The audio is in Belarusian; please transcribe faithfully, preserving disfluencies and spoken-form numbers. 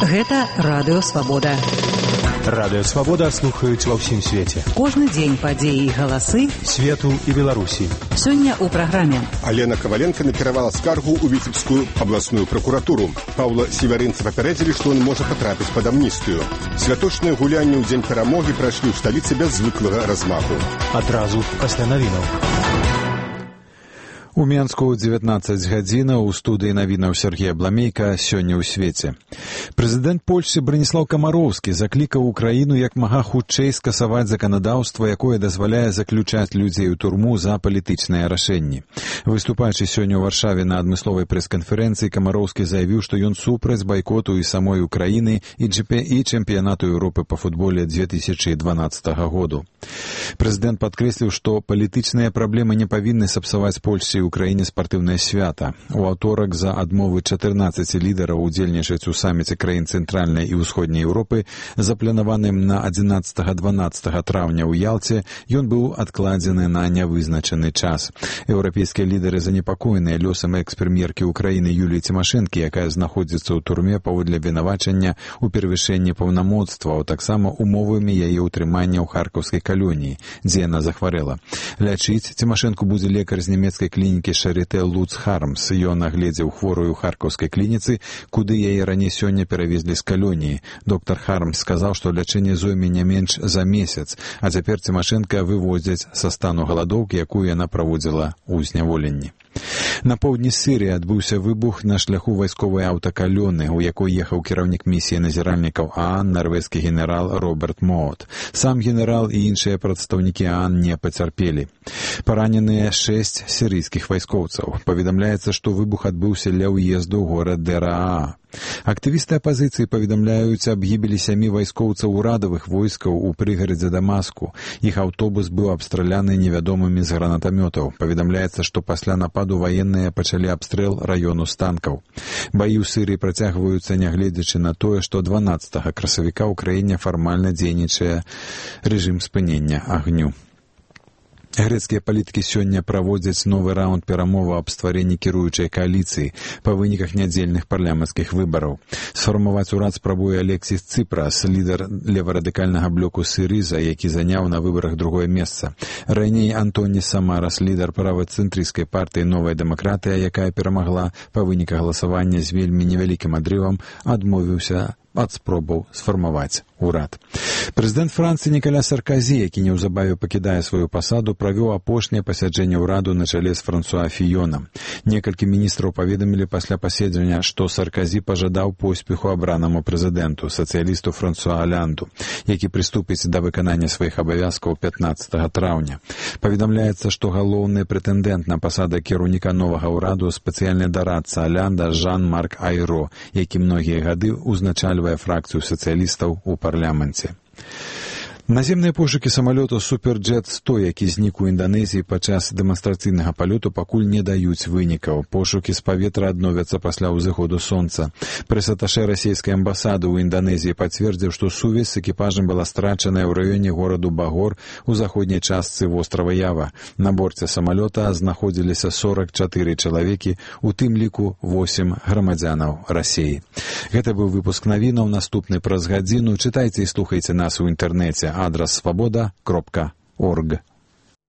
Гэта Радыё Свабода. Радыё Свабода слухаюць ва ўсім свеце. Кожны дзень падзеі і галасы свету і Беларусі. Сёння ў праграме. Алена Коваленко накіравала скаргу ў Віцебскую абласную пракуратуру. Паўла Севярынца папярэдзілі, што ён можа патрапіць пад амністыю. Святочныя гулянні ў дзень перамогі прайшлі ў сталіцы без звыклага размаху. Адразу пасля навінаў. У Менску дзевятнаццаць гадзінаў у студыі навінаў Сергея Бламейка сёння ў свеце. Прэзідэнт Польшчы Браніслаў Камароўскі заклікаў Украіну як мага хутчэй скасаваць заканадаўства, якое дазваляе заключаць людзей у турму за палітычныя рашэнні. Выступаючы сёння ў Варшаве на адмысловай прэс-канферэнцыі, Камароўскі заявіў, што ён супраць байкоту і самой Украіны і чэмпіянату Еўропы па футболе две тысячы дванаццатага году. Прэзідэнт падкрэсліў, што палітычныя праблемы не павінны сапсаваць Польшчы Украіне спартыўнае свята. У аўторак за адмовы чатырнаццаці лідараў удзельнічаць у саміце краін цэнтральнай і ўсходняй Еўропы, запланаваным на адзінаццатага-дванаццатага траўня ў Ялце, ён быў адкладзены на нявызначаны час. Еўрапейскія лідары занепакоеныя лёсам экс-прэм'еркі Украіны Юліі Цімашэнкі, якая знаходзіцца ў турме паводле вінавачання ў перавышэнні паўнамоцтваў, таксама умовамі яе ўтрымання ў харкаўскай калоніі, дзе яна захварэла. Лячыць Цімашэнку будзе лекар з нямецкай клінікі Шарité Луц Хармс. Ён агледзеў хворую ў харкаўскай клініцы, куды яе раней сёння перавезлі з калоніі. Доктар Хармс сказаў, што лячэнне зойме не менш за месяц, а цяпер Цімашэнка вывозяць са стану галадоўкі, якую яна праводзіла ў зняволенні. На поўдні Сірыі адбыўся выбух на шляху вайсковай аўтакалёны, у якой ехаў кіраўнік місіі назіральнікаў ААН, нарвежскі генерал Роберт Моот. Сам генерал і іншыя прадстаўнікі ААН не пацярпелі. Параненыя шэсць сірыйскіх вайскоўцаў. Паведамляецца, што выбух адбыўся ля ўезду ў горад Дэраа. Актывісты апазіцыі паведамляюць аб гібелі сямі вайскоўцаў урадавых войскаў у прыгарадзе Дамаску. Іх аўтобус быў абстраляны невядомымі з гранатамётаў. Паведамляецца, што пасля нападу ваенныя пачалі абстрэл раёну з танкаў. Баі ў Сірыі працягваюцца, нягледзячы на тое, што дванаццатага красавіка ў краіне фармальна дзейнічае рэжым спынення агню. Грэцкія палітыкі сёння праводзяць новы раунд перамоваў аб стварэнні кіруючай кааліцыі па выніках нядзельных парламенцкіх выбараў. Сфармаваць урад спрабуе Алексіс Цыпрас, лідар леварадыкальнага блоку Сірыза, які заняў на выбарах другое месца. Раней Антоніс Самарас, лідар правацэнтрысцкай партыі «Новая дэмакратыя», якая перамагла па выніках галасавання з вельмі невялікім адрывам, адмовіўся ад спробаў сфармаваць урад. Прэзідэнт Францыі Нікаля Сарказі, які неўзабаве пакідае сваю пасаду, правёў апошняе пасяджэнне ўраду на чале з Франсуа Фіёнам. Некалькі міністраў паведамілі пасля паседжання, што Сарказі пажадаў поспеху абранаму прэзідэнту, сацыялісту Франсуа Алянду, які прыступіць да выканання сваіх абавязкаў пятнаццатага траўня. Паведамляецца, што галоўны прэтэндэнт на пасаду кіраўніка новага ўраду спецыяльны дарадца Алянда Жан-Марк Айро, які многія гады ўзначальвае фракцыю сацыялістаў у парламенце. Наземныя пошукі самалёту Суперджет сто, які знік у Інданезіі падчас дэманстрацыйнага палёту, пакуль не даюць вынікаў. Пошукі з паветра адновяцца пасля ўзыходу сонца. Прэс-аташэ расійскай амбасады ў Інданезіі пацвердзіў, што сувязь з экіпажам была страчаная ў раёне гораду Багор у заходняй частцы вострава Ява. На борце самалёта знаходзіліся сорак чатыры чалавекі, у тым ліку восем грамадзянаў Расіі. Гэта быў выпуск навінаў, наступны праз гадзіну. Чытайце і слухайце нас у інтэрнэце. Адрас свабода кропка орг.